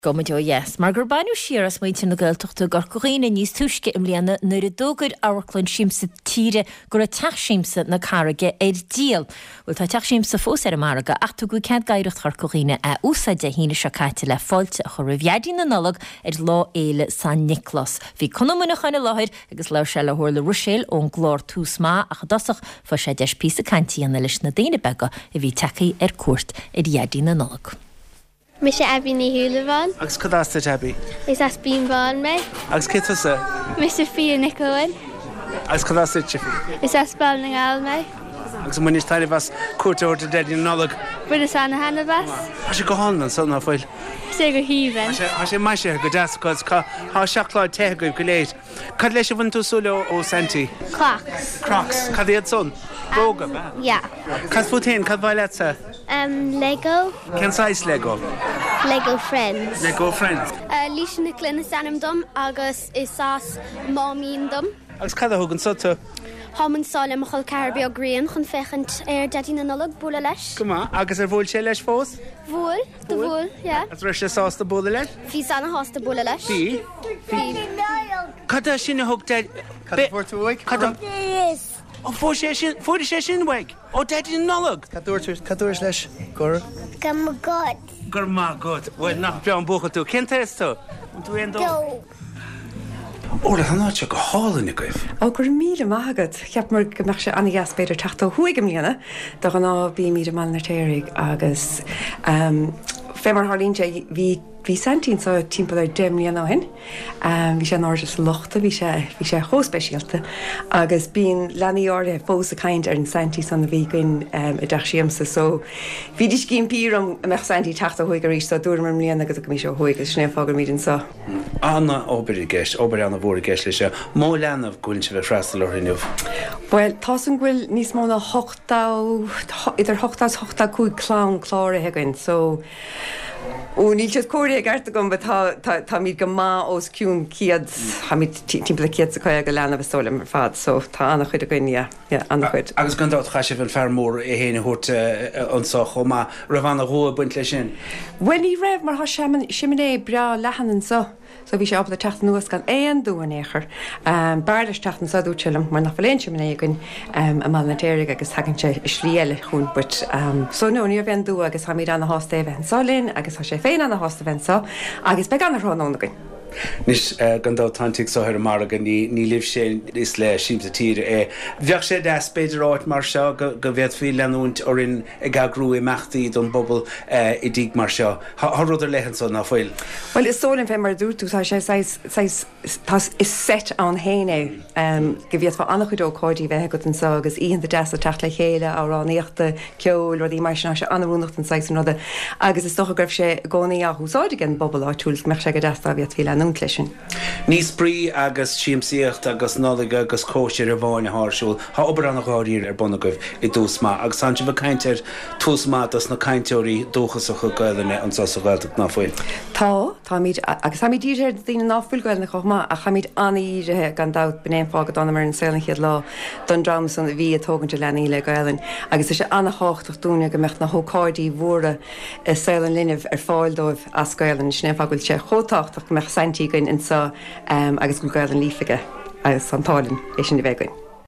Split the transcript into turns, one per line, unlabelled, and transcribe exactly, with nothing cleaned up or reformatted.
Gabhfaimid ó dheas, mar gur baineadh siar as muintir na Gaeltachta i gCorca Dhuibhne níos túisce i mbliana nuair a d'fhógair Amharclann Siamsa Tíre go raibh Teach Siamsa na Carraige ar díol. Bhuel tá Teach Siamsa fós ar an margadh ach tugadh cead d'Oidhreacht Chorca Dhuibhne é a úsáid Dé hAoine seo caite le fáilte a chur roimh Dhaidí na Nollag ar Lá Fhéile San Nioclás. Bhí Conn Ó Muineacháin i láthair agus labhair sé le hOrla Ruiséal ón gclár Tús Maith ach i dtosach fuair sé deis píosa cainte a dhéanamh leis na daoine beaga a bhí tagtha ar cuairt ar Dhaidí na Nollag.
Mise Abby Ní Shúilleabháin.
Agus cad as duit Abby?
Is as Binn Bhán mé.
Agus cé tusa?
Mise Fia Nic Eoin.
Agus cad as duit Fia?
Is as Baile na nGall mé.
Agus an mbainfidh taitneamh as cuairt a thabhairt ar Dhaidí na Nollag?
Bhaineas ana-thaitneamh as.
Tá sé go hálainn anso ná fuil?
Tá sé go haoibhinn.
Tá sé maisithe go deas agus tá seacláid te agaibh go léir. Cad leis a bhain tú súil ó Santy?
Crocs.
Crocs. Cad iad san? Bróga, ab ea?
Yeah.
Cad fút féin, cad ba mhaith leatsa?
Um, Lego.
Cén saghas Lego?
Lego Friends.
Lego Friends.
Uh, Lisa Nic Lynn is ainm dom agus is as Máimín dom.
Agus cad a thug anso tú?
Táim anseo le mo chol ceathar beag Rian chun féachaint ar Daidí na Nollag bualadh leis.
Go maith, agus ar bhuail sé leis fós?
Bhuail, do bhuail, yeah.
Agus raibh sé sásta bualadh leis?
Bhí ana-shásta bualadh leis.
Bhí?
Bhí.
Cad é sin a thug Daid...
Cad a fuair tú uaidh?
Cad a... Ó fuair sé sin, fuair sé sin uaidh? Ó Daidí na Nollag!
Cad dúirt cad dúirt leis? Gur?
Go raibh maith agat.
Go raibh maith agat. Bhuel, nach breá an buachaill tú. Cén t-aos tú? An tú aon dó?
Dó.
Orla, tá an áit seo go hálainn agaibh.
Ó go raibh míle maith agat. Cheapamar go mbeadh sé an-dheas b'fhéidir teacht ó thuaidh i mbliana de ghnáth bímid i mBaile an Fheirtéaraigh agus um, fé mar tharlaíonn sé bhí bhí Saintí anseo timpeall ar deich mbliana ó shin. Um, bhí sé in airde sa lochta, bhí sé bhí sé chomh speisialta agus bíonn leanaí áirithe fós ag caint ar an Saintí san a bhí againn um, i dteach siamsa, so bhídís ag impí orm an mbeadh Saintí teacht ó thuaidh arís so dúramar i mbliana go dtiocfaimis ó thuaidh agus sin é an fáth go bhfuilimid anseo.
An-obair i gceist, obair an-mhór i gceist leis seo. Mó leanbh go bhfuil sibh ag freastal orthu inniu.
Well, tá an bhfuil níos mó ná hochtó idir hocht is hochtó cúig clann cláraithe againn, so Ó níl siad comhairthe i gceart agam, but tá tá táimid go maith os cionn céad táimid timpeall céad is caoga leanbh is dóigh liom ar fad, so tá an-chuid againn, yeah, yeah, an-chuid.
Agus gan dabht chaith sibh an fear mór é féin a thabhairt anso chomh maith, raibh an-dhua ag baint leis sin.
Well ní raibh mar tá seimineá breá leathan anseo. So bhí sé ábalta teacht anuas gan aon dua in aon chor. Um, b'fhearr leis teacht anseo dúirt sé liom mar nach bhfuil aon seimineá againn um, i mBaile an Fheirtéaraigh agus tagann sé i slí eile chugainn but um, so no ní raibh aon dua agus táimid ana-shásta é bheith anseo linn agus tá sé féin ana-shásta bheith anseo agus beidh an-tráthnóna againn.
Anois gan dabht tá an tigh seo ar an margadh ní ní libhse is le Siamsa Tíre é. Bheadh sé deas b'fhéidir áit mar seo go go bhféadfaí leanúint orainn ag eagrú imeachtaí don bpobal i dtigh mar seo. Tá rud ar leith anseo ná fuil.
Well is dóigh liom fé mar a dúirt tú tá sé saghas saghas tá is seit ann féin é um, go bhféadfá an-chuid ócáidí bheith agat anseo agus oícheanta deasa teacht le chéile amhránaíochta, ceoil, rudaí mar sin sé an-oiriúnach don saghas an ruda agus is dócha go raibh sé i gcónaí á úsáid ag an bpobal áitiúil go mbeadh sé go deas dá bhféadfaí leanúint leis sin.
Ní spraoi agus siamsaíocht agus Nollaig agus cóisir amháin atá ar siúl, Tá obair an-dháiríre ar bun agaibh i dTús Maith agus tá sibh ag caint ar Tús Maith dos na cainteoirí dúchasacha Gaelainne anseo sa Ghaeltacht ná fuil.
Tá táimid agus táimid dírithe ar daoine ná fuil Gaelainne chomh maith ach táimid an-dírithe gan dabht b'in é an fáth go dtángamar ar an saol an chéad lá don dream san a bhí ag tógaint a leanaí le Gaelainn agus tá sé an-tábhachtach dúinne go mbeadh na hócáidí mhóra i saol an linbh ar fáil dóibh as Gaelainn sin é an fáth go bhfuil sé chomh tábhachtach go mbeadh Saintí againn anseo um, agus go bhfuil Gaelainn líofa aige agus an t-ádh linn é sin a bheith againn.